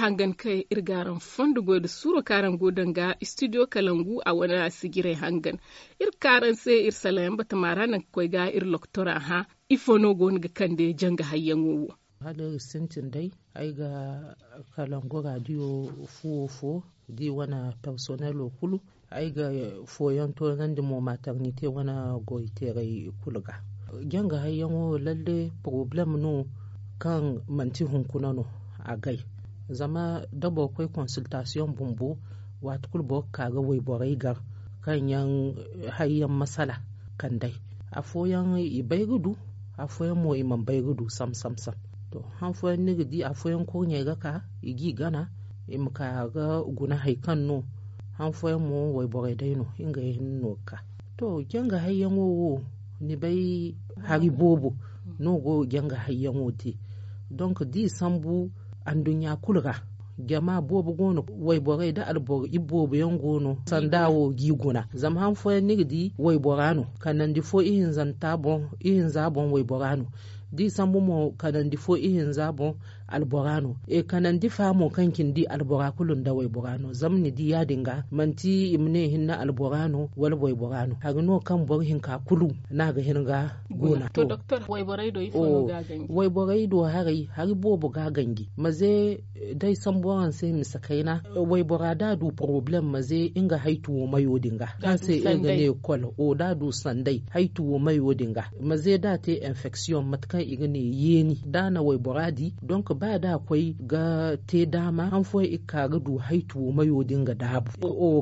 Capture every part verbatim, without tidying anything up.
Hangan kaŋ iri ga araŋ fondo goy nda suuro kaŋ araŋ go danga studio kalangu a wane sijirey hangan. Iri ga ka araŋ se iri salayaŋ batama ra naŋ ga koy ga iri loktora hã. Ifo no go no ga kande janga hayyaŋo wo? Hala iri sintin day ay ga kalangu radio fuwo fo da i wane personelo kulu. Ay ga fooyaŋ toonandi mo maternite wane goyteerey kulu ga. Janga hayyaŋo lalle poroblem no kaŋ manti hunkuna no agay. Zama da boro koy konsiltasiyoŋ bumbo waati kulu boro ga ka ga wayborey gar kaŋ yaŋ hayyaŋ masala kand'ey. Afooyaŋ i bay ga du, afooyaŋ mo i mana bay ga du sam sam sam. To, han fooyaŋ ni ga di afooyaŋ kurɲey ga ka i g'i gana, i ma ka ga guna hari kaŋ no. Han fooyaŋ mo wayborey day no ngey hinne no ga ka. To, janga hayyaŋo wo, ni bay hari boobo no go janga hayyaŋo te. Donk da i sambu anduɲɲa kulu ra, jama boobo go no, wayborey nda alboro iboobo yaŋ go no sanda wo g'i guna. Zama han fooyaŋ ni ga di waybora no, kanandi fo ihinzanta boŋ ihinza boŋ waybora no. Da i sambu mo kanandi fo ihinza boŋ albora no. E kanandi fa mo kaŋ cindi albora kulu nda waybora no. Zama ni di ya- din ga manti i ma ne hinne albora no wala waybora no, hari no kaŋ boro hinka kulu no a ga hin ga guna. To, wayborey do haray hari boobo ga ganji maze day sambu araŋ se mise kayna. Waybora da a du poroblem maze nga haytuwo mayo din ga kaŋ se iri ga ne kol o da a du sanday haytuwo mayo din ga maze da a te enfeksiyoŋ mate kaŋ i ga ne yeeni da a na waybora di donk ba da a koy ga te daama han fooyaŋ i ga ka ga du haytuwo mayo din ga daabu.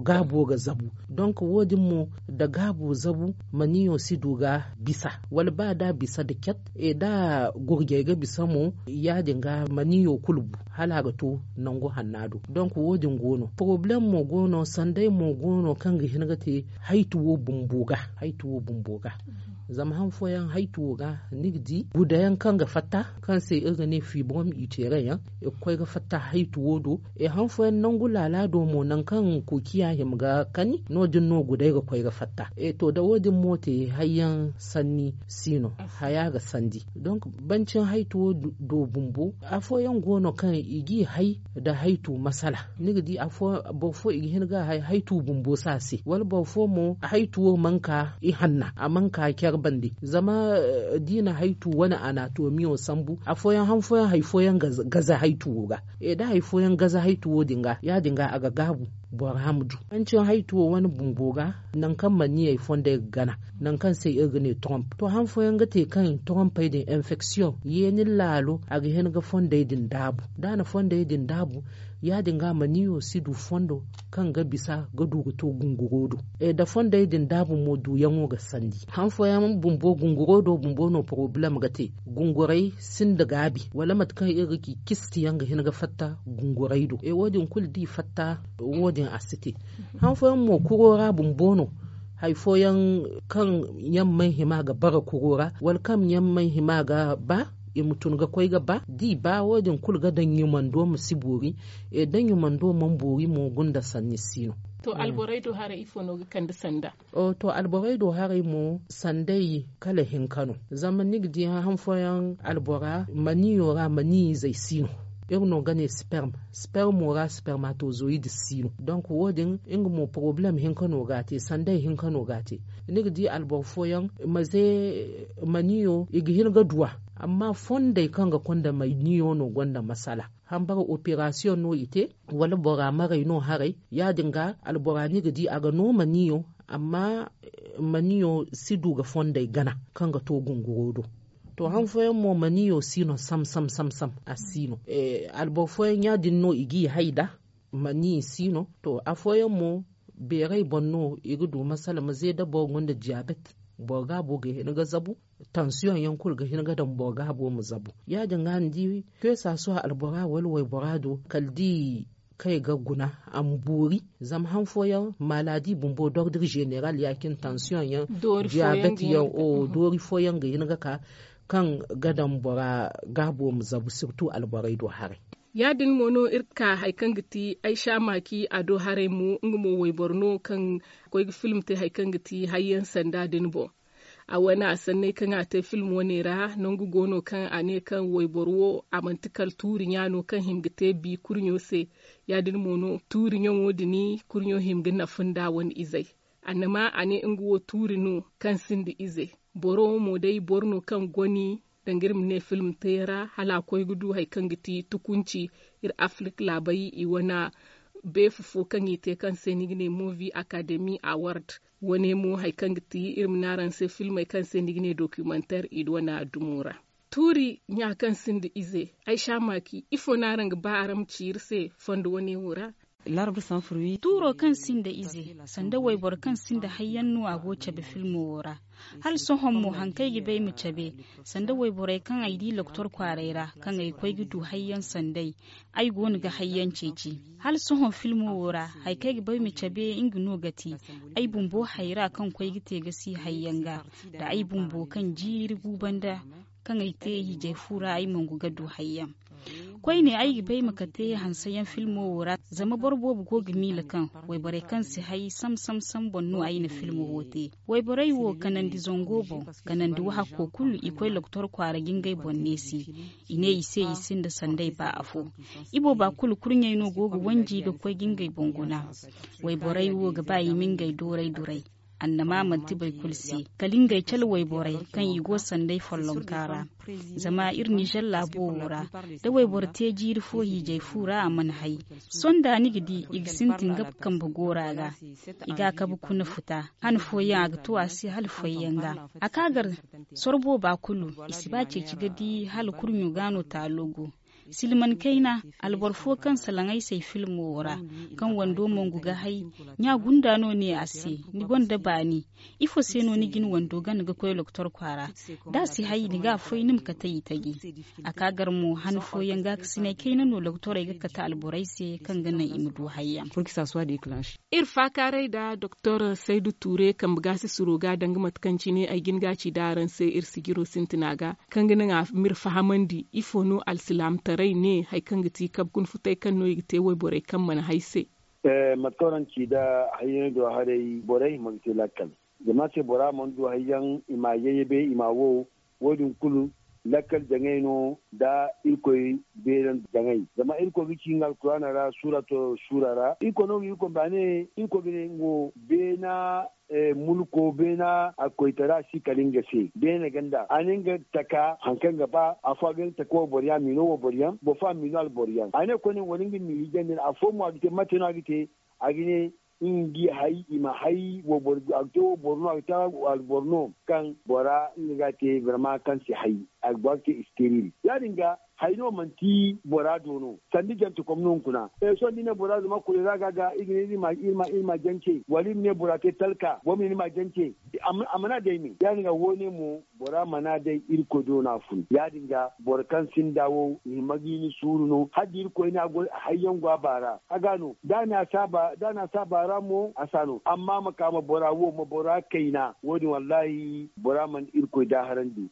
Gaabo ga zabu. Donk wo- din mo da gaabo zabu maniyo si du ga bisa wala ba da a bisa da cat e da gurjey ga bisa mo ya- din ga maniyo kulu bu hala a ga to nangu hanna do. Donk wo- din go no poroblem mo go no sanday mo go no kaŋ ga hin ga te haytuwo bumbo ga. Zama han fooyaŋ haytuwo ga ni ga di gudayaŋ kaŋ ga fatta kaŋ se iri ga ne fibrom uterin yaŋ i ga koy ga fatta haytuwo do. E han fooyaŋ nangu laala do mo nangu kaŋ kuukiya hima ga kani no- din no gudey ga koy ga fatta. E to da wo- din mo te hayyaŋ sanni si no haya ga sandi. Donk bancin haytuwo do bumbo afooyaŋ go no kaŋ i g'i hay nda haytu masala. Ni ga di boro fo i ga hin ga a hay haytu bumbo si a se wala boro fo mo haytuwo mana ka ihanna a mana ka care bande zama da i na haytu wane anatomiyo sambu afooyaŋ han fooyaŋ hari fooyaŋ gaze haytuwo ga. E da hari fooyaŋ gaze haytuwo din ga ya- din ga a ga gaabu bora ma du. Manci haytuwo wane bumbo ga nangu kaŋ maniyey fondey ga gana nangu kaŋ se iri ga ne tromp to han fooyaŋ ga te kaŋ trompey din enfeksiyoŋ yeeni laalo a ga hin ga fondey din daabu da a na fondey din daabu ya- din ga maniyo si du fondo kaŋ ga bisa ga du ga to gunguro do. E da fondey din daabu mo duyaŋo ga sandi han fooyaŋ bumbo gunguro do bumbo no poroblem ga te. Gungurey sinda gaabi wala mate kaŋ iri ga ci cisti yaŋ ga hin ga fatta gungurey do e wo- din kulu da i fatta wo- din a si te. Han fooyaŋ mo kuro ra bumbo no hari fooyaŋ kaŋ yaŋ mana hima ga bara kuro ra wala kaŋ yaŋ mana hima ga ba i ma tun ga koy ga ba da i ba wo- din kulu ga daŋ ɲumando ma si boori. E da ɲumando mana boori mo gunda sanni si no. To alborey do haray ifo no ga kande sanda? To alborey do haray mo sanday kala hinka no. Zama ni ga di han fooyaŋ albora maniyo ra maniyizey si no. Iri no ga ne sperm spermo ra spermatozoyid si no donk wo- din nga mo poroblem hinka no ga a te sanday hinka no ga a te. Ni ga di alboro fooyaŋ maze maniyo i ga hin ga du a amma fondey kaŋ ga konda maniyo no gonda masala. Hambara operasiyoŋ no i te wala bora maray no haray ya- din ga albora ni ga di a ga no maniyo amma maniyo si du ga fondey gana kaŋ ga to gunguro do. To han fooyaŋ mo maniyo si no sam sam sam sam a si no. Alboro fooyaŋ ya- din no i g'i hay nda maniyo si no. To afooyaŋ mo beeray boŋ no i ga du masala ma ze da boro gonda diyabet boro gaabo ga hin ga zabu. Tansiyoŋ yaŋ kulu ga hin ga daŋ boro gaabo ma zabu. Ya- din ga ni di feesa sohõ albora wala waybora do kala da i kay ga guna a ma boori. Zama han fooyaŋ maladi bumbo dordre zeneral ya- cine tansiyoŋ yaŋ diyabet yaŋ doori fooyaŋ ga hin ga ka kaŋ ga daŋ bora gaabo ma zabu sirtu alborey do haray. Ya- din mo no iri ga ka hari kaŋ ga ti aysa maaki a do haray mo nga mo wayboro no kaŋ ga koy ga film te hari kaŋ ga ti hayyaŋ sanda din boŋ. A wane a sanney kaŋ a te film wane ra, nangu go no kaŋ a ne kaŋ wayboro wo a manti kala tuuri ɲa no kaŋ hima ga te bi kurɲo se. Ya- din mo no tuuri ɲaŋo din kurɲo hima ga nafa nda a wane izey. Annama a ne nga wo tuuri no kaŋ sinda ize. Boro wo mo day boro no kaŋ goni danga iri ma ne film teera hala a koy ga du hari kaŋ ga ti tukunci. Iri afrik laabey i wane beefu fo kaŋ i te kaŋ se ni ga ne movie academy award. Wane mo hari kaŋ ga ti iri ma ne araŋ se filmey kaŋ se ni ga ne documentaire i wane dumo ra. Tuuri ɲa kaŋ sinda ize ay sha maaki ifo no araŋ ga ba araŋ ma ci iri se fondo wane wo ra? Tuuro kaŋ sinda ize sanda wayboro kaŋ sinda hayyaŋ no a go cabe filmo wo ra. Hala sohõ mo hari kaŋ ay ga ba ay ma cabe sanda wayborey kaŋ ay di loktor kwaaray ra kaŋ ay koy ga du hayyaŋ sanday. Ay go no ga hayyaŋ ceeci hala sohõ filmo wo ra. Hari kaŋ ay ga ba ay ma cabe nga no ga ti ay bumbo hayra kaŋ koy ga te ga si hayyaŋ ga nda ay bumbo kaŋ jiiri gu banda kaŋ ay te hiijay fu ra ay mangu ga du hayyaŋ. Koyne ay ga bay ma kate hanseyaŋ filmo wo ra zama boro boobo go ga miila kaŋ wayborey kaŋ si hay sam sam sam boŋ no ay na filmo wo te. Wayborey wo kanandi zango boŋ kanandi wahakko kulu i koy loktor kwaara ga ngey boŋ neesi. I ne i se i sinda sanday ba afo. Ibooba kulu kurɲey no go ga wanji ga koy ga ngey boŋ guna. Wayborey wo ga ba i ma ngey dooray duray. Annama manti boro kulu se kala ngey cala wayborey kaŋ i go sanday follonka ra. Zama iri nizer laabo wo ra da wayboro te jiiri fo hiijay fu ra a mana hay. Sohõ da ni ga di i ga sintin ga kambe goora ga i ga a kabe kuna futa. Han fooyaŋ a ga to a se hala fooyaŋ ga a ka gar. Sorbo ba kulu i si ba ceeci ga di hala kurɲo ga no taalo go. Silman kayna alboro fo kaŋ salaŋ ay se ay filmo wo ra kaŋ wando mongu ga hay. Ɲa gunda no ne a se ni gonda baani? Ifo se no ni ga ni wando gana ga koy loktor kwaara? Da a si hay ni ga a foy ni ma kate i taji. A ka gar mo han fooyaŋ gaakasinay kayna no loktorey ga kate alborey se kaŋ ga naŋ i ma du hayyaŋ. Iri faakaaray nda doktor saydu tuure kambe gaasi suro ga danga mate kaŋ cine ay ga ni ga ci nda araŋ se iri sijiro sintina ga kaŋ ga naŋ a m'iri fahamandi ifo no alsilaamataray ne hari kaŋ ga ti kabe kuna futay kaŋ no i ga te wayborey kaŋ mana hay se. Mate kaŋ araŋ ci nda hayyaŋey do haray borey hima ga te lakkal. Zama se bora mana du hayyaŋ i ma a yayyabe i ma a wo. Wo- din kulu lakkal jaŋay no nda irkoy beeran jaŋay zama irkoy ga ci nga alkuraana ra suura to suura ra irkoy no ga irkoy baane. Irkoy ga ne nga wo beena mulko beena a koytara si kala nga se beene ganda a ne nga taka hari kaŋ ga ba afo a ga ne taka wo boro yaŋ a ma i no wo boro yaŋ boro fo a ma i no alboro yaŋ a ne koyne wala nga ma i hijandi no afo mo a ga te mate no a ga te a ga ne nga ga i hay i ma hay wo boro a ga te wo boro no a ga te alboro no kaŋ bora nga ga a te barma kaŋ si hay a ga ba ga te isteril ya- din ga hay no manti bora do no sanda jante kom no hunkuna. Sohõ da i ne bora zama kulu ra ga ga i ga ne iri ma jance wala iri ma ne bora te talka boro ma ne ni ma jance. A mana day me ya- din ga wo- ne mo bora mana day irkoy do no a fun ya- din ga boro kaŋ sinda wo i hima ga i ni suuru no hala da irkoy ne a go hayyaŋ go a baara a ga no da a ne a si a baara mo a si a no amma ma ka ma bora wo ma bora kayna wo- din wallahi bora mana irkoy daaharandi.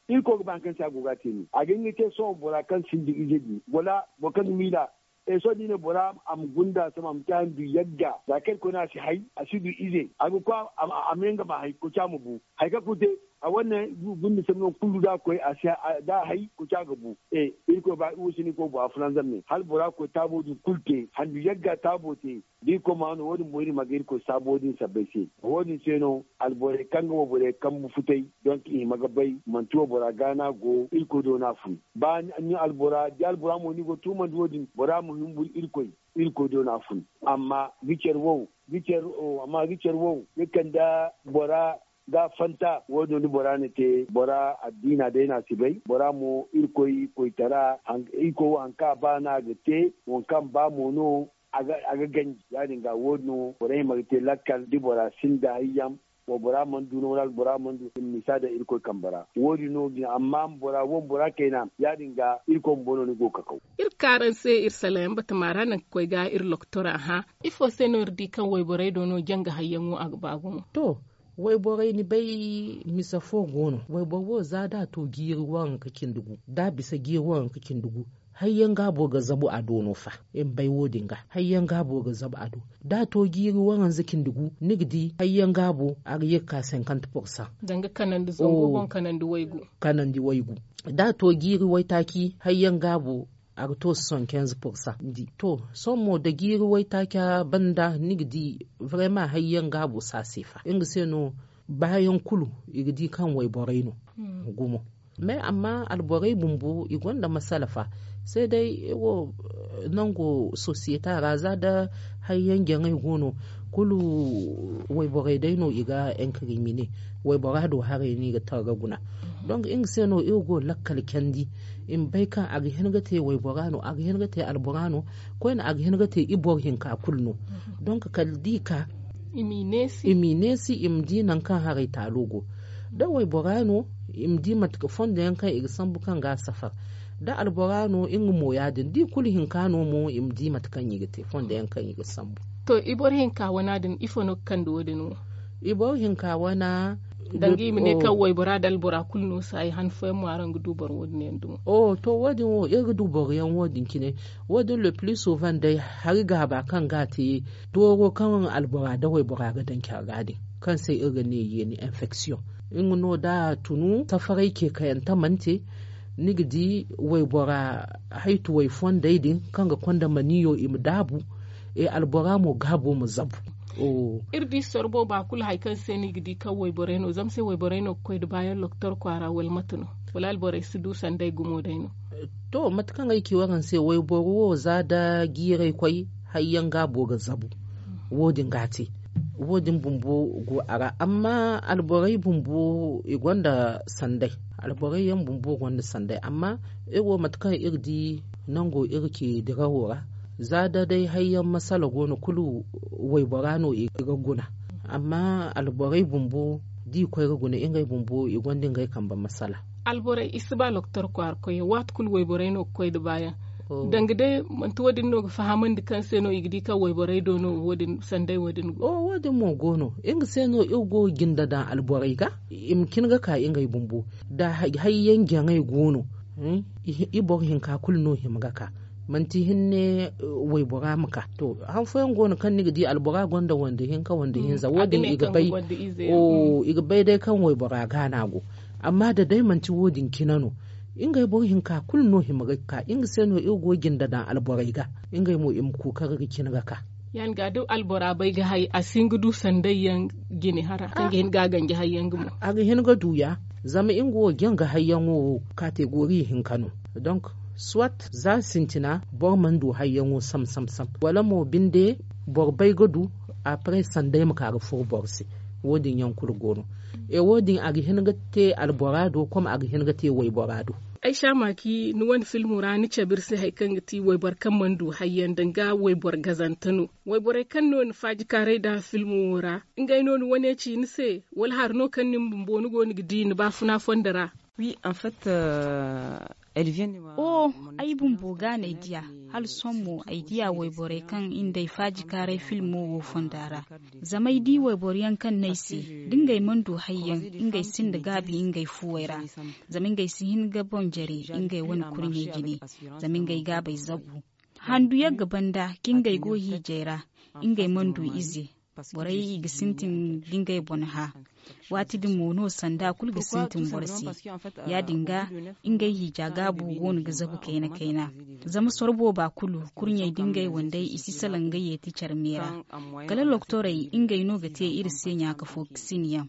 Irkoy ga ba hari kaŋ se a go ga a te no a ga hin ga te sohõ bora kaŋ sinda ize din wala boro kaŋ ga miila. Sohõ da i ne bora a ma gunda sama a ma te handu yagga za kaŋ irkoy no a si hay a si du ize a ga koy a ma yaŋ ga ma hay koca ma bu. Hari kaŋ kulu te a wane gunda sama no kulu da a koy a si da a hay koca ga bu. Irkoy ba iri wo si ne irkoy bora fulanzam ne hala bora koy taabo din kulu te handu yagga taabo te. Da irkoy ma no wo- din boŋ iri ma ga irkoy saabo din sabbay se wo- din se no alborey kaŋ ga wo borey kambu futay donk i hima ga bay manti wo bora ga no a go irkoy do no a fun. Ba albora da albora mo ni go tumandi wo- din bora ma humburu irkoy. Irkoy do no a fun amma ga care wo ga care wo ga kande bora ga fanta wo- din no da bora na te bora addiina day no a si bay bora mo irkoy koytara irkoy wo hari kaŋ a ba no a ga te waŋ kaŋ ba mo no a ga ganji ya- din ga wo- din no borey hima ga te lakkal da bora sinda hayyaŋ. Wa bora mana du no wala albora mana du i ma misa daŋ irkoy kambe ra. Wo- din no din amma bora wo- din bora kayna ya- din ga irkoy bumbo no ni go ga kakaw. Iri ga ka araŋ se iri salayaŋ batama ra naŋ ga koy ga iri loktora hã. Ifo se no iri di kaŋ wayborey do no janga hayyaŋo a ga ba gumo? To, wayborey ni bay misa fo go no wayboro wo za da a to jiiri waranka cindi gu da a bisa jiiri waranka cindi gu. Hayyaŋ gaabo ga zabu a do no fa. Iri ma bay wo- din ga hayyaŋ gaabo ga zabu a do. Da a to jiiri waranza cindi gu ni ga di hayyaŋ gaabo a ga ye ga ka senkant pursan. Danga kanandi zango boŋ kanandi waygu. Kanandi waygu. Da a to jiiri waytaaci hayyaŋ gaabo a ga to soixante-quinze pursan. To sohõ mo da jiiri waytaaca banda ni ga di, vraiment hayyaŋ gaabo si a se fa nga se no. Baayaŋ kulu i ga di kaŋ wayborey no gumo. Mais amma alborey bumbo i gonda masala fa. Sai day wo nango sosiyeta ra za da hayyaŋ jaŋay go no kulu wayborey day no i ga enkrimine. Waybora do haray no i ga targa guna. Donc nga se no iri go lakkal candi i ma bay kaŋ a ga hin ga te waybora no a ga hin ga te albora no. Koyne a ga hin ga te i boro hinka kulu no. Donc kala da i ka i m'i neesi i ma di nangu kaŋ haray taalo go. Da waybora no i ma di mate kaŋ fondo yaŋ kaŋ i ga sambu kaŋ ga a safar. Da albora no nga mo ya- din da i kulu hinka no mo i ma di mate kaŋ i ga te fondo yaŋ kaŋ i ga sambu. To i boro hinka wana din ifo no ga kande wo- din wo? I boro hinka wana danga i ma ne kaŋ waybora da albora kulu no si hay han fooyaŋ mo araŋ ga du boro wo- din yaŋ dumo. To wo- din wo iri ga du boro yaŋ wo- din cine. Wo- din le plus souvent day hari gaaba kaŋ ga a te dooro kaŋ albora da waybora ga daŋ care ga din kaŋ se iri ga ne yeeni infection. Nga no da a tunu safaray ce kayante mana te ni ga di waybora haytuway fondey din kaŋ ga konda maniyo i ma daabu. Albora mo gaabo ma zabu. Iri di sorbo ba kulu hari kaŋ se no i ga di kaŋ wayborey no zama se wayborey no ga koy nda baayaŋ loktor kwaara wala mate no? Wala alborey si du sanday gumo day no? To mate kaŋ ay ci waraŋ se wayboro wo za da jiiray koy hayyaŋ gaabo ga zabu. Wo- din ga a te wo- din bumbo go a ra amma alborey bumbo i gonda sanday. Alborey yaŋ bumbo gonda sanday amma iri wo mate kaŋ iri di nango iri ci dirawo ra za da day hayyaŋ masala go no kulu waybora no i ga guna. Amma alborey bumbo da i koy ga guna ngey bumbo i gonda ngey kambe masala. Alborey i si ba loktor kwaara koyyaŋ waati kulu wayborey no ga koy nda baayaŋ. Danga day manti wo- din no ga fahamandi kaŋ se no i ga di kaŋ wayborey do no wo- din sanday wo- din go. Wo- din mo go no nga se no iri go ga jinde daŋ alborey ga i ma cin ga ka ngey bumbo da hayyaŋ jaŋay go no. I boro hinka kulu no hima ga ka manti hinne waybora ma ka to han fooyaŋ go no kaŋ ni ga di albora gonda wande hinka wande hinza wo- din i ga bay. I ga bay day kaŋ waybora gaana go. Amma da day manti wo- din cine no ngey boro hinka kulu no hima ga ka nga se no iri go ga jinde daŋ alborey ga ngey mo i ma kookari ga cin ga ka. Ya- din ga da albora bay ga hay a si hin ga du sanday yaŋ jine hara kaŋ ga hin ga a ganji hayyaŋ ga mo. A ga hin ga du ya zama nga wo janga hayyaŋo kategori hinka no. Donc soit za sintina boro mana du hayyaŋo sam sam sam wala mo binde boro bay ga du. Après sanday ma ka ga furo boro se. Wo- din yaŋ kulu go no. E wo- din a ga hin ga te albora do comme a ga hin ga te waybora do. Ay sha maaki ni wane filmo ra ni cabe iri se hari kaŋ ga ti wayboro kaŋ mana du hayyaŋ danga wayboro gazante no. Wayborey kaŋ no ni faaji kaaray nd'a filmo wo ra ngey no ni wane ci ni se wala hari no kaŋ ni bumbo ni go no ga di ni baafuna fondo ra? Wi en fait. Oh, ay bumbo ga no ay diya. Hala sohõ mo ay diya wayborey kaŋ i nda ay faaji kaaray filmo wo fonda ra. Zama ay di wayboro yaŋ kaŋ no ay se da ngey mana du hayyaŋ ngey sinda gaabi ngey fuwey ra. Zama ngey si hin ga boŋ jare ngey wane kurɲey jine. Zama ngey gaabey zabu handu yagga banda kaŋ ngey go hiijay ra. Ngey mana du ize. Borey i ga sintin ga ngey boŋ hã. Waati din mo no sanda kulu ga sintin boro se. Ya- din ga ngey hiija gaabu go no ga zabu kayna kayna. Zama sorbo ba kulu kurɲey da ngey wandey i si salaŋ ga yeeti care me ra. Kala loktorey ngey no ga te iri se ɲaaka fo ga sin yaŋ.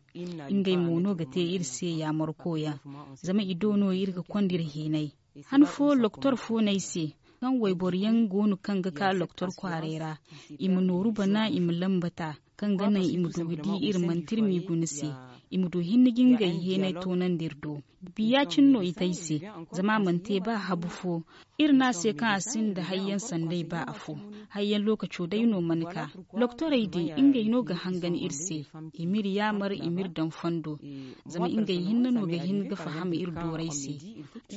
Ngey mo no ga te iri se yaamarko yaŋ. Zama i do no iri ga konda iri heenay. Han fo loktor fo no ay se kaŋ wayboro yaŋ go no kaŋ ga ka loktor kwaaray ra. I ma nooru bana i ma lambata kaŋ ga naŋ i ma du ga di iri manti iri m'i guna se. I ma du hinne ga ngey heenay toonandi iri do. Biya cine no i te ay se. Zama a mana te ba habu fo. Iri ne a se kaŋ a sinda hayyaŋ sanday ba afo. Hayyaŋ lookaco day no mana ka. Loktorey din ngey no ga hangan iri se. I m'iri yaamar i m'iri daŋ fondo. Zama ngey hinne no ga hin ga faham iri dooray se.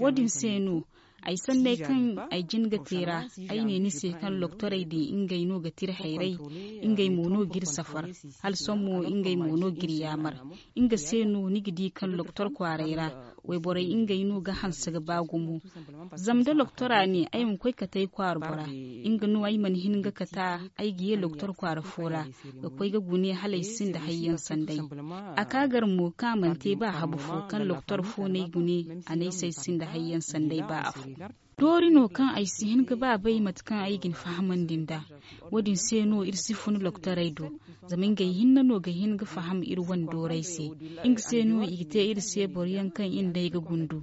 Wo- din se no ay sanney kaŋ ay jin ga te ra. Ay ne ni se kaŋ loktorey din ngey no ga te iri hayray. Ngey mo no g'iri safar. Hala sohõ mo ngey mo no g'iri yaamar. Nga se no ni ga di kaŋ loktor kwaaray ra Wayborey ngey no ga hanse ga ba gumo. Zama da loktora ne ay ma koy kate ay kwaara bora, nga no ay mana hin ga kate ay ga ye loktor kwaara fo ra, ga koy ga gune hala ay sinda hayyaŋ sanday. A ka gar mo kaŋ a mana te ba habu fo kaŋ loktor fo no ay gune, a ne ay se ay sinda hayyaŋ sanday ba afo. Doori no kaŋ ay si hin ga ba bay mate kaŋ ay ga ni fahamandi nd'a. Wo- din se no iri si fun loktorey do, zama ngey hinne no ga hin ga faham iri wane doorey se. Nga se no i ga te iri se boro yaŋ kaŋ iri n'ey ga gundu.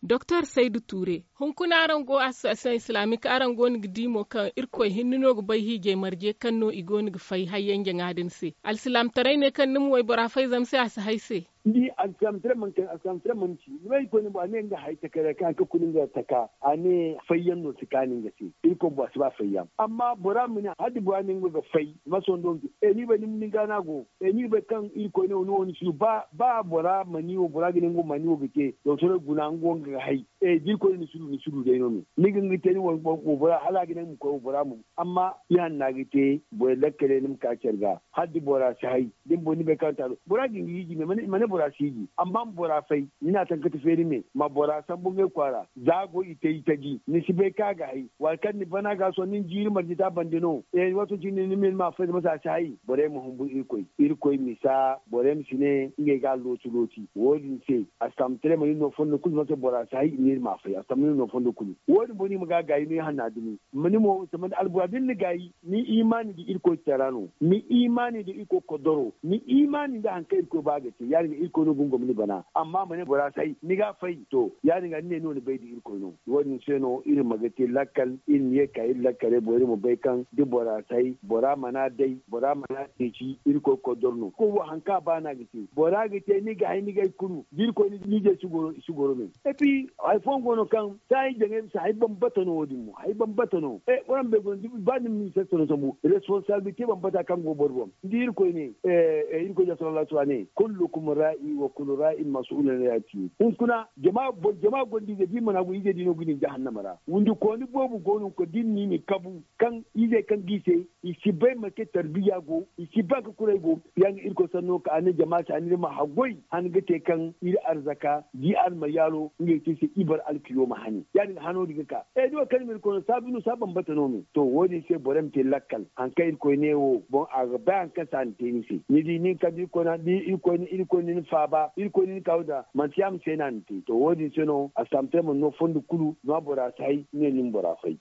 Doktor saydu ture, hunkuna araŋ go association islamique, araŋ go no ga di mo kaŋ irkoy hinne no ga bay hiijay marje kaŋ no i go no ga fay hayyaŋ jaŋa din se. Alsilaamtaray ne kaŋ ni ma waybora fay zama se a si hay se. Ni di alsilaamtaray mana ci ni bay irkoy ne bo a ne nga hay takara kaŋ a ga kuni nga taka, a ne fayyaŋ no si kaani nga se. Irkoy bo a si ba fayyaŋ amma bora ma ne hala da bora ne nga ga fay, ma sondo nga se ni bay ni ma ni gaana go. Ni bay kaŋ irkoy ne wo ni wo ni si du ba bora ma ni wo bora ga ne nga wo ma ni wo ga te. Doktor guna nga wo nga ga hay. Da irkoy ne ni si du ni si du day no me ni ga nga te ni wo bora hala a ga ne nga ma koy wo bora ma bu. Amma ihanna ga te boro lakkale ni ma ka care ga hala da bora si hay. Da ni boŋ ni bay kaŋ taalo bora ga nga hiiji me ma ne bora si hiiji amma ma bora fay. Ni na tankati feeri me ma bora sambu ngey kwaara za go i te i taji ni si bay kaŋ a ga hay. Waati kaŋ ni bana ga sohõ ni na jiiri marje te a bande no. Waato cine ni ma ni ma fay zama se a si hay. Borey ma humbu irkoy irkoy misa borey ma si ne ngey ga a looti looti wo- din se. A si taamu taray ma ni no fondo kulu zama se bora si hay i ne iri ma a fay a si taamu ni no fondo kulu. Wo- din boŋ no i ma ga a gaayi no i hanna dumi. Ma ni mo zama albura da ni na gaayi ni imaani nda irkoy tara no ni imaani nda irkoy kodoro ni imaani nda hari kaŋ irkoy ba ga te ya- din ga irkoy no ga ni gomni bana. Amma ma ne bora si hay ni ga a fay to ya- din ga ni ne ni wo ni bay nda irkoy no. Wo- din se no iri ma ga te lakkal iri ma ye ga ka iri lakkaley boŋ iri ma bay kaŋ da bora si hay bora mana day bora mana ceeci irkoy kodoro no. Irkoy wo hari kaŋ a ba no a ga te. Bora ga te ni ga hay ni ga ay kulu da irkoy ni ga ay si goro i si goro me. Epi hari fooyaŋ go no kaŋ saayi jaŋay bisa hari bambata no wo- din mo hari bambata no. Waranbey go no ba ni ma ni sasano sambu responsabilite bambata kaŋ go boro boŋ. Ni di irkoy ne irkoy da sallallahu alaihi wa sallam ne kullukum ra'i wa kullu ra'in mas'ulun an ra'iyatihi. Hunkuna jama gonda ize da i mana go ize din no ga i daŋ jahannama ra. Windi kooni boobo go no hunkuna da i na i ma i kabu kaŋ izey kaŋ ga i se i si bay manti tarbiya go i si bay hari kaŋ kuray go. Ya nga irkoy sanno ka a ne jama se a ne iri ma haggoy han ga te kaŋ iri arzaka da i almayaalo ngey te i se i bara alkiyooma hane. Ya- din ga hano din ga ka e da wo kaŋ ni ma irkoy no saabu no saabu bambata no me to wo- din se borey ma te lakkal hari kaŋ irkoy ne wo boŋ a ga bay hari kaŋ se a na te ni se ni di nin kaŋ da irkoy na ni faaba irkoy na ni kaaru nd'a manti yaama se no a na te to wo- din se no a si taamu te mana no fondo kulu zama bora si hay ni ne ni ma bora fay.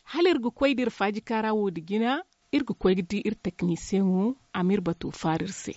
Hala iri ga koy da iri faajika ra wo- din jina iri ga koy ga di iri teknisiyeŋo a ma iri bato faara iri se.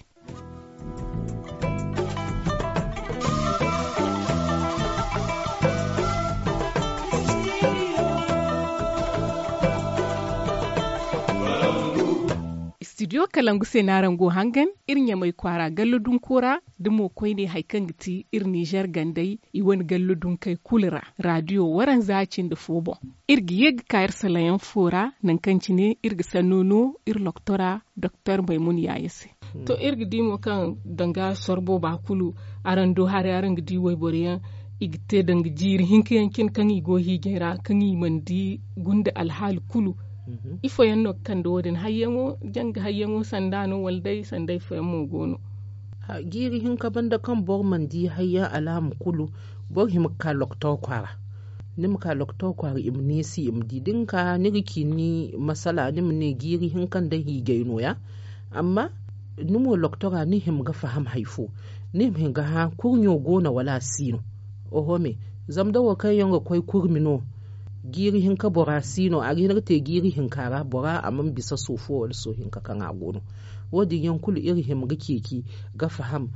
Istidiyo kalangu se no araŋ go hangan iri ɲamay kwaara gallo dunko ra da mo koyne hari kaŋ ga ti iri ninzeer gandey i wane gallo dunkey kulu ra raadiyo waranza cindi fo boŋ. Iri ga ye ga ka iri salayaŋ fo ra nangu kaŋ cine iri ga sanno no iri loktora doktor maymun yaaye se. To iri ga di mo kaŋ danga sorbo ba kulu araŋ do haray araŋ ga di wayboro yaŋ i ga te danga jiiri hinka yaŋ cine kaŋ i go hiijay ra kaŋ i mana di gunda alhaali kulu. Ifo yaŋ no ga kande wo- din hayyaŋo janga hayyaŋo sanda no wala day sanda ifo yaŋ mo go no? Jiiri hinka banda kaŋ boro mana di hayyaŋ alaama kulu boro hima ga ka loktor kwaara. Ni ma ka loktor kwaara i ma neesi i ma di da ni ka ni ga ci ni masala ni ma ne jiiri hinka nda hiijay no- ya. Amma ni mo loktora ni hima ga faham hari fo ni ma hin ga hã kurɲo go no wala a si no? Oho me. Zama da wo kaŋ yaŋ ga koy kurmi no jiiri hinka bora si no a ga hin ga te jiiri hinka ra bora a mana bisa soofo wala soohinka kaŋ a go no. Wo- din yaŋ kulu iri hima ga ceeci ga faham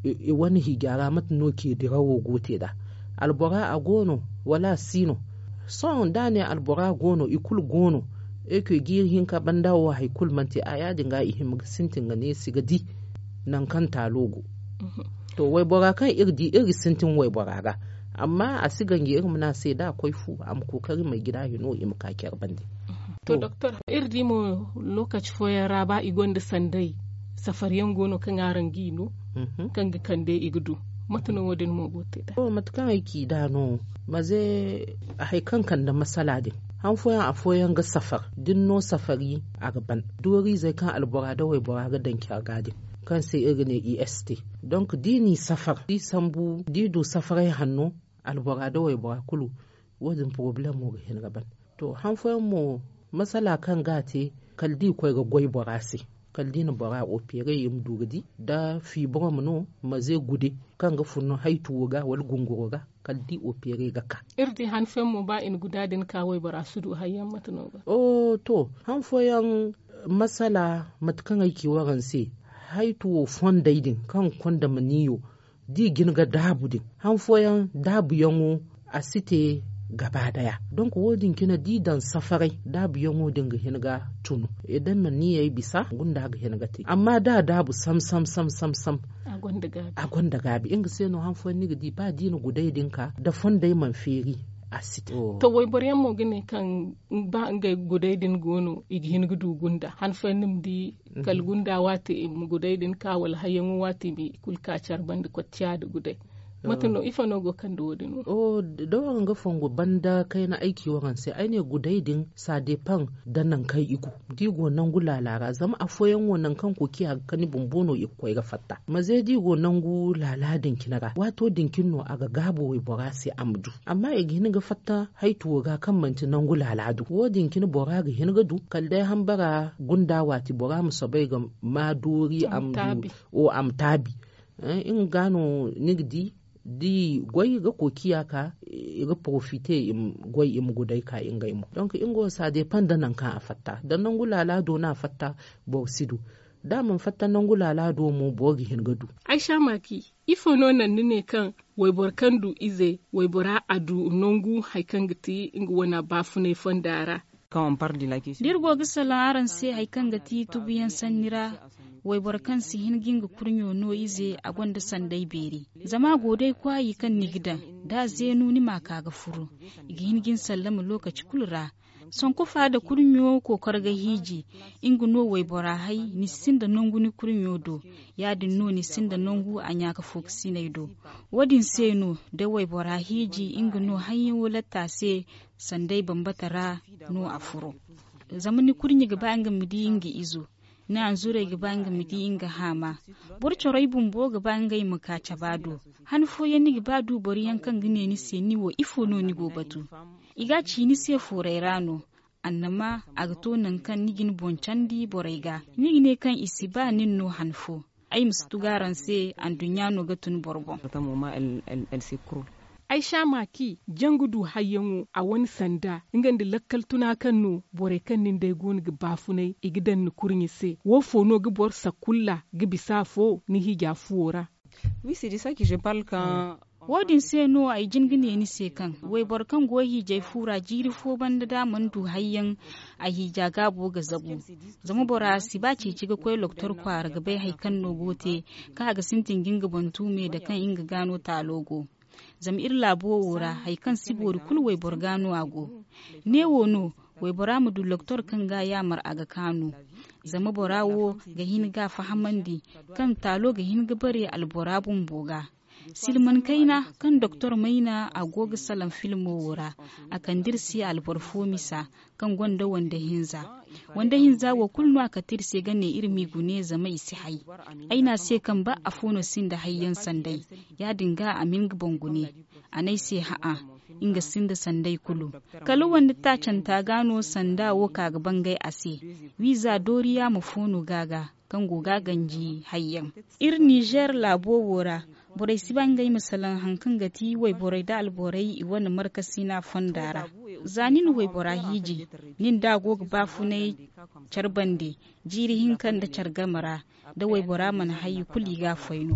i wane hiija ra mate no ce dirawo go te nd'a? Albora a go no wala a si no? Sohõ da a ne albora go no i kulu go no. Eke jiiri hinka banda wo hari kulu mana te a ya- din ga i hima ga sintin ga neesi ga di nangu kaŋ taalo go. To waybora kaŋ iri ga di iri ga sintin waybora ga amma a si ganji iri ma ne a se da a koy fu a ma kookari may jina hino i ma ka care bande. To doktor iri di mo lookaci fooyaŋ ra ba i gonda sanday safariyaŋ go no kaŋ araŋ g'i no kaŋ ga kande i ga du? Mate no wo- din mo go ga te nd'a? Mate kaŋ ay ci nd'a no maze hari kaŋ kande masala din han fooyaŋ afooyaŋ ga safar da ni no safari a ga ban dooriizey kaŋ albora nda waybora ga daŋ care ga din. kaŋ se iri ga ne i s t. Donk da i n'i safar da i sambu da i du safaray hanno, albora nda waybora kulu, wo- din porobalemo ga hin ga ban. To han fooyaŋ mo, masala kaŋ ga a te, kala da i koy ga goy bora se, kala da i na bora opere i ma du ga di da fiiborom no, maze gude kaŋ ga fun haytuwo ga wala gunguro ga, kala da i opere ga ka. Iri di han fooyaŋ mo ba i na guda din ka waybora si du hayyaŋ mate no ga. To han fooyaŋ, masala mate kaŋ ay ci waraŋ se, haytuwo fondey din kaŋ ga konda maniyo, da i ga hin ga daabu din, han fooyaŋ daabuyaŋo a si te gaba daya. Donk wo- din cine da i daŋ safaray, daabuyaŋo din ga hin ga tunu. Da maniyey bisa gunda ga hin ga te, amma da a daabu sam sam sam sam sam, a gonda gaabi nga se no han fooyaŋ ni ga di ba da i na guday din ka da fondey mana feeri, a si te. To wayboro yaŋ mo ga ne kaŋ ba ngey guday din go no i ga hin ga du gunda han fooyaŋ ni ma di kala gunda waati i ma guday din ka wala hayyaŋo waati i ma i kulu ka care banda kocciya nda guday. Mate no ifo no go kaŋ da wo- din wo? Da waraŋ ga fongu banda kayna ay ci waraŋ se ay ne guday din ça dépend da nangu kaŋ i go. Da i go nangu laala ra zama afooyaŋ wo nangu kaŋ koociya ga kani bumbo no i ga koy ga fatta maze da i go nangu laala din cine ra waato din cine no a ga gaabu waybora se a ma du. Amma i ga hin ga fatta haytuwo ga kaŋ manti nangu laala do wo- din cine bora ga hin ga du kala day hambara gunda waati bora ma soobay ga ma doori a ma du. A ma taabi nga ga no ni ga di da i goy ga koociya ka i ga porofite i ma goy i ma guday ka ngey mo donk nga wo ça dépend da nangu kaŋ a fatta da nangu laala do no a fatta. Boro si du da a mana fatta nangu laala do mo boro ga hin ga du. Ay sha maaki ifo no naŋ ni ne kaŋ wayboro kaŋ du ize waybora a du nangu hari kaŋ ga ti nga wane baafunay fonda ra? Da iri go ga salaŋ araŋ se hari kaŋ ga ti tubuyaŋ sanni ra, wayboro kaŋ si hin ga nga kurɲo no ize a gonda sanday beeri. Zama a go day kwaayi kaŋ ni ga daŋ da a zeenu ni ma a ka ga furu. I ga hin ga ni sallama lokaci kulu ra. Sankufa nda kurɲo kookoro ga hiiji, nga no waybora hay ni sinda nangu ni kurɲo do. Ya- din no ni sinda nangu a ɲaaka fookasiney do. Wo- din se no da waybora hiiji nga no hayyaŋo latta se. Sanday bambata ra no a furo. Zama ni kurɲe ga ba nga ma di nga izo, ni hanzurey ga ba nga ma di nga haama. Boro corey bumbo ga ba ngey ma ka caba do. Han fooyaŋ ni ga ba du boro yaŋ kaŋ ga ne ni se ni wo ifo no ni go batu? I ga a ci ni se fooray ra no. Annama a ga to nangu kaŋ ni ga ni boŋ candi borey ga. Ni ga ne kaŋ i si ba nin no han fo. Ay ma si tugu araŋ se anduɲɲa no ga tun boro boŋ. Ay sha maaki jangu du hayyaŋo a wane sanda nga nda lakkal tuna kaŋ no borey kaŋ nin day go no ga baafunay i ga daŋ ni kurɲe se wo fo no ga boro sakulla ga bisa afo ni hiija fuwo ra? Wo- din se no ay jin ga ne ni se kaŋ wayboro kaŋ go hiijay fu ra jiiri fo banda da a mana du hayyaŋ a hiija gaabo ga zabu. Zama bora si ba ceeci ga koy loktor kwaara ga bay hari kaŋ no go te kaŋ a ga sintin ga nga boŋ tuumey da kaŋ nga ga no taalo go. Zama iri laabo wo ra hari kaŋ si boori kulu wayboro ga no a go. Ne wo no waybora ma du loktor kaŋ ga yaamar a ga kaanu. Zama bora wo ga hin ga a fahamandi kaŋ taalo ga hin ga bare albora bumbo ga. Silman kayna kaŋ doktor mayna a go ga salaŋ filmo wo ra. A kande iri se alboro fo misa kaŋ gonda wande hinza. Wande hinza wo kulu no a kate iri se ga ne iri m'i gune zama i si hay. Ay ne a se kaŋ ba afo no sinda hayyaŋ sanday. Ya- din ga a ma nga boŋ gune. A ne ay se ha'a, nga sinda sanday kulu. Kala wande taacanta ga no sanda wo ka ga bangay a se. Wiiza dooriya ma foono ga ga kaŋ go ga ganji hayyaŋ. Iri nizer laabo wo ra borey si ba ngey ma salaŋ hari kaŋ ga ti wayborey nda alborey i wane markasina fonda ra. Za ni na waybora hiiji, nin da a go ga baafunay care bande jiiri hinka nda care game ra, da waybora mana hay i kulu i ga a foy no.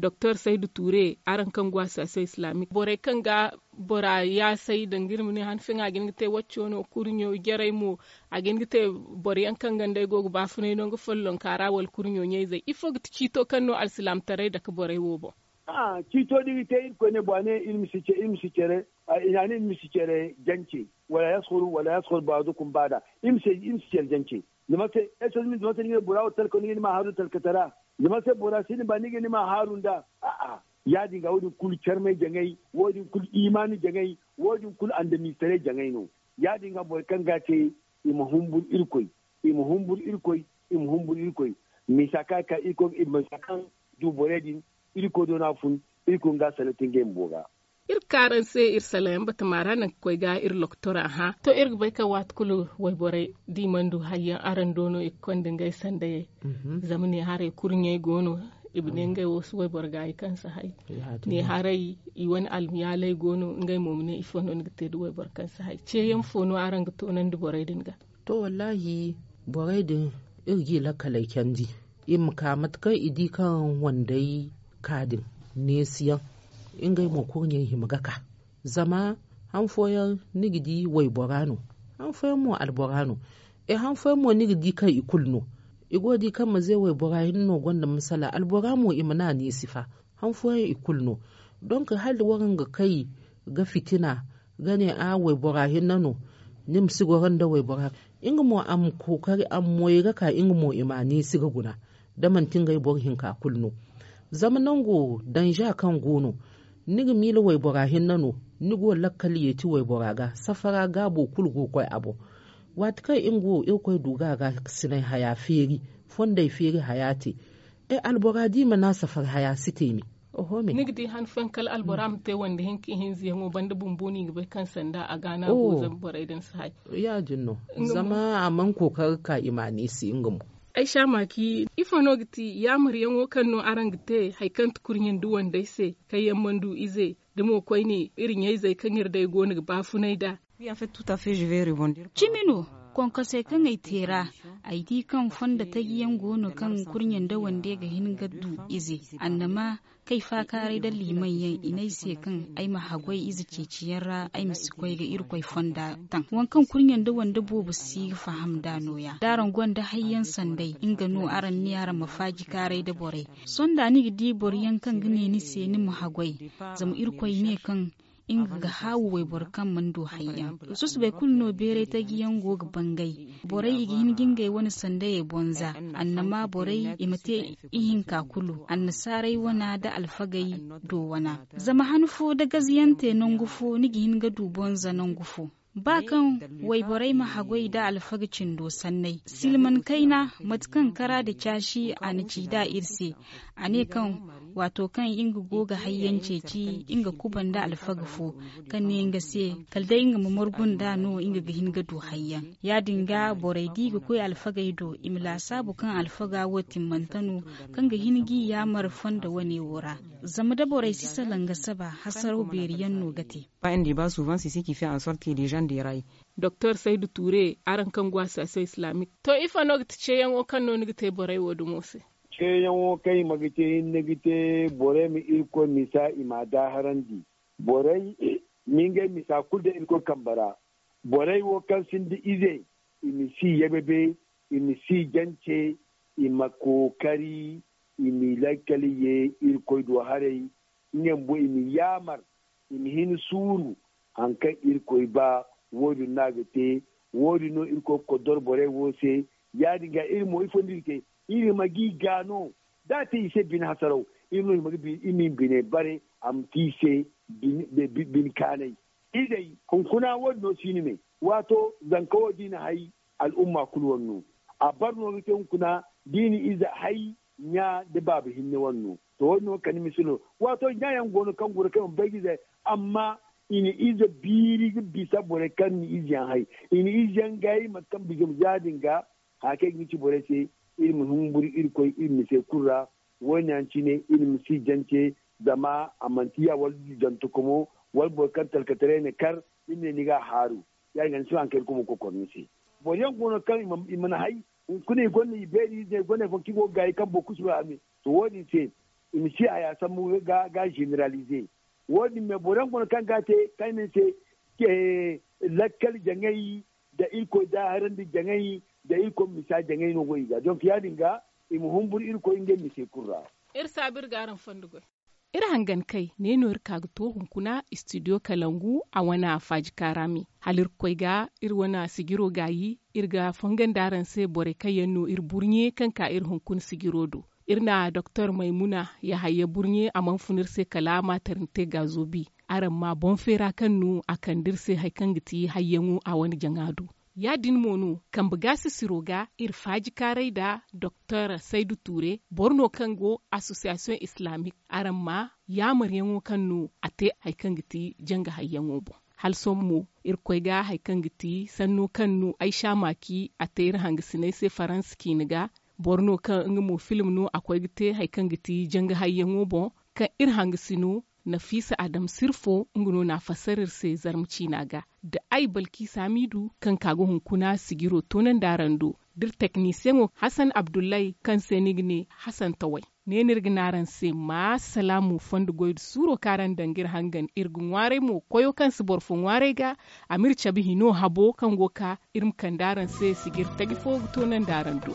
Doktor saydu ture araŋ kaŋ go a saasa islamik borey kaŋ ga bora yaasay danga iri ma ne han fooyaŋ a ga hin ga te wacco no kurɲo jarey mo. A ga hin ga te boro yaŋ kaŋ ganda ay go ga baafunay no nga follonka ra wala kurɲo ɲayzey ifo ga ti ciito kaŋ no alsilaamataray dake borey wo boŋ? Ciito da iri te irkoy ne bora ne iri ma si care i na ne iri ma si care jance. Wala yaskur wala yaskur baadukum baada. Iri ma si care jance. Zama se ese ni ga ni ma haaru talkatara? Zama se bora si ni ba ni ga ni ma haaru nda a'a. Ya- din ga wo- din kulu carmay jaŋay, wo- din kulu imaani jaŋay, wo- din kulu andamistaray jaŋay no. Ya- din ga boro kaŋ ga a te i ma humburu irkoy. I ma humburu irkoy. I ma humburu irkoy. Misa kaŋ a ka irkoy misa kaŋ du borey din, irkoy do no a fun. Irkoy nga salatin ngey bumbo ga. Iri ga ka araŋ se iri salayaŋ batama ra nangu ga koy ga iri lokotora hã to iri ga bay kaŋ waati kulu wayborey da i mana du hayyaŋ araŋ do no i ga konda ngey sandayey. Zama ne haray kurɲey go no i ma ne ngey wo si wayboro gaayi kaŋ si hay. Ne haray i wane almiyaaley go no ngey mo ma ne ifo no ni ga te da wayboro kaŋ si hay ceeyaŋ fo no araŋ ga toonandi borey din ga? To wallaahi, borey din iri g'i lakkaley candi i ma ka mate kaŋ i di kaŋ wandey ka din neesiyaŋ. Ngey mo kurɲey hima ga ka zama han fooyaŋ ni ga di waybora no. Han fooyaŋ mo albora no. E han fooyaŋ mo ni ga di kaŋ i kulu no. I go ga di kaŋ maze waybora hinne no gonda masala albora mo i mana a neesi fa. Han fooyaŋ i kulu no. Donk hala waraŋ ga kay ga fitina ga ne a waybora hinne no. Ni ma si goro nda waybora. Nga mo a ma kookari a ma moyey ga ka nga mo i ma a neesi ga guna. Da manti ngey boro hinka kulu no. Zama nango danza kaŋ go no ni ga miila waybora hinne no. Ni go lakkal yeeti waybora ga safara gaabo kulu go ga koy a boŋ. Waati kaŋ nga wo irkoy du ga a ga sinay haya feeri fondey feeri haya te. Albora da i mana safari haya si te me. Oho me ni ga di han fooyaŋ kala albora ma te wande hinka ihinza yaŋo banda bumbo no i ga bay kaŋ sanda a gaana go zama borey din si hay. Ya- din no. Zama a mana kookari ga ka i ma a neesi nga mo. Ay saamaki ifo no ga ti yaamaryaŋo kaŋ no araŋ ga te hari kaŋ ti kurɲandi wandey se kaŋ yaŋ mana du ize? Da mo koyne iri ɲayzey kaŋ iri day go no ga baafunay nd'a. Cimi no. Konkosey kaŋ ay te ra ay di kaŋ fondo taji yaŋ go no kaŋ kurɲe nda wande ga hin ga du ize. Annama kay faakaaray nda liimaŋ yaŋ i ne ay se kaŋ ay ma haggoy ize ceeci yaŋ ra ay ma si koy ga irkoy fonda taŋ waŋ kaŋ kurɲe nda wande boobo si ga faham nd'a nooya da araŋ gonda hayyaŋ sanday nga no araŋ ne araŋ ma faaji kaaray nda borey. Sonda ni ga di boro yaŋ kaŋ ga ne ni se ni ma haggoy zama irkoy ne kaŋ nga ga haawu wayboro kaŋ mana du hayyaŋ. Susubay kulu no beeray taji yaŋ go ga bangay. Borey i ga hin ga ngey wane sandayey bonza annama borey i ma te ihinka kulu annasaaray wana nda alfagey do wana. Zama han fo da gaziyante nangu fo ni ga hin ga du bonza nangu fo. Ba kaŋ wayborey ma haggoy nda alfaga cindo sanney silman kayna mate kaŋ kara nda caasi a na ci nd'a iri se. A ne kaŋ waato kaŋ nga go ga hayyaŋ ceeci nga kuba nda alfaga fo kaŋ ne nga se kala day nga ma margu nd'a no nga ga hin ga du hayyaŋ. Ya- din ga borey da i ga koy alfagey do i ma laasaabu kaŋ alfaga wo timmante no kaŋ ga hin g'i yaamar fondo wane wo ra. Zama da borey si salaŋ ga saba hasaraw beeri yaŋ no ga te. Doktor saydu tuure araŋ kaŋ go a saase islamic to ifo no ga ti ceeyaŋo kaŋ no ni ga te borey wo dumo se? Ceeyaŋo kaŋ i ma ga te hinne ga te borey ma irkoy misa i m'a daaharandi. Borey ma ngey misa kulu daŋ irkoy kambe ra. Borey wo kaŋ sinda ize i ma si yababe, i ma si jance, i ma kookari i ma i lakkal ye irkoy do haray. Ngey bumbo i ma yaamar i ma hin suuru hari kaŋ irkoy ba. Wo- din no a ga te. Wo- din no irkoy ga koddor borey wo se. Ya- din ga iri mo ifo no iri ga te? Iri ma g'i gaa no da a te i se bine hasaraw. Iri no i ma ga bine i ma i ma bine bare a ma te i se bine kaanay. Izey hunkuna wo- din no si ni me. Waato zanka wo da i na hay al'umma kulu wane no. A bare no ga te hunkuna da i na ize hay ɲa nda baaba hinne wane no. To wo- din no kala ni ma si no. Waato ɲa yaŋ go no kaŋ guna kaŋ i mana bay ga ize hay. Amma i na ize biiri ga bisa borey kaŋ na ize yaŋ hay. I na ize yaŋ gay mate kaŋ bisa ya- din ga haya kaŋ i ga ni ci borey se. Iri ma humburu irkoy iri ma se kulu ra. Wo- din yaŋ cine iri ma si jance zama a manti ya wala jantakomo wala boro kaŋ talkataray na kar iri ne ni ga a haaru. Ya- din ga ni si ba hari kaŋ irkoy ma kokor ni se. Boro yaŋ go no kaŋ i mana hay hunkuna i gonda i beeri ize i gonda hari fooyaŋ kaŋ i go ga gaayi kaŋ boro kulu si ba a me. To wo- din se i ma si haya sambu ga generalize. Wo- din me boro yaŋ go no kaŋ ga a te kaŋ i ne ni se lakkal jaŋay nda irkoy daaharandi jaŋay nda irkoy misa jaŋay no go i ga donk ya- din ga i ma humburu irkoy ngey misey kulu ra. Iri saabu iri ga araŋ fondo goy. Iri hangan kay ne no iri ka ga to hunkuna studio kalangu a wane faaji kaara me hala iri ga koy ga iri wane sijiro gaayi. Iri ga fongandi araŋ se borey kaŋ yaŋ no iri burɲe kaŋ ka iri hunkuna sijiro do. Iri na doktor maymuna yahaya burɲe a mana fun iri se kala maternite gaazo bi. Araŋ ma boŋ feera kaŋ no a kande iri se hari kaŋ ga ti hayyaŋo a wane jaŋa do. Ya- din mo no kambe gaasisiro ga iri faajikaaray nda doktor saydu tuure boro no kaŋ go asosiyasiyoŋ islaamik. Araŋ ma yaamaryaŋo kaŋ no a te hari kaŋ ga ti janga hayyaŋo boŋ. Hala sohõ mo irkoy ga hari kaŋ ga ti sanno kaŋ no ay saamaki a te iri hangasiney se faransa ciine ga. Boro no kaŋ nga mo film no a koy ga te hari kaŋ ga ti janga hayyaŋo boŋ, kaŋ iri hangasino nafiisa adam sirfo nga no n'a fassara iri se zarma ciina ga. Da ay balki saamiidu kaŋ ka ga hunkuna sijiro toonandi araŋ do, da iri teknisiyeŋo hasan abdullahi kaŋ se ni ga ne hasan taway. Ne no iri ga ne araŋ se ma salaamu fondo goy nda suuro kaŋ araŋ daŋ ga iri hangan iri ga ŋwaaray mo koyo kaŋ si boro fo ŋwaaray ga. A ma iri cabe hino habo kaŋ go ga ka iri ma kande araŋ se sijiri taji fo ga toonandi araŋ do.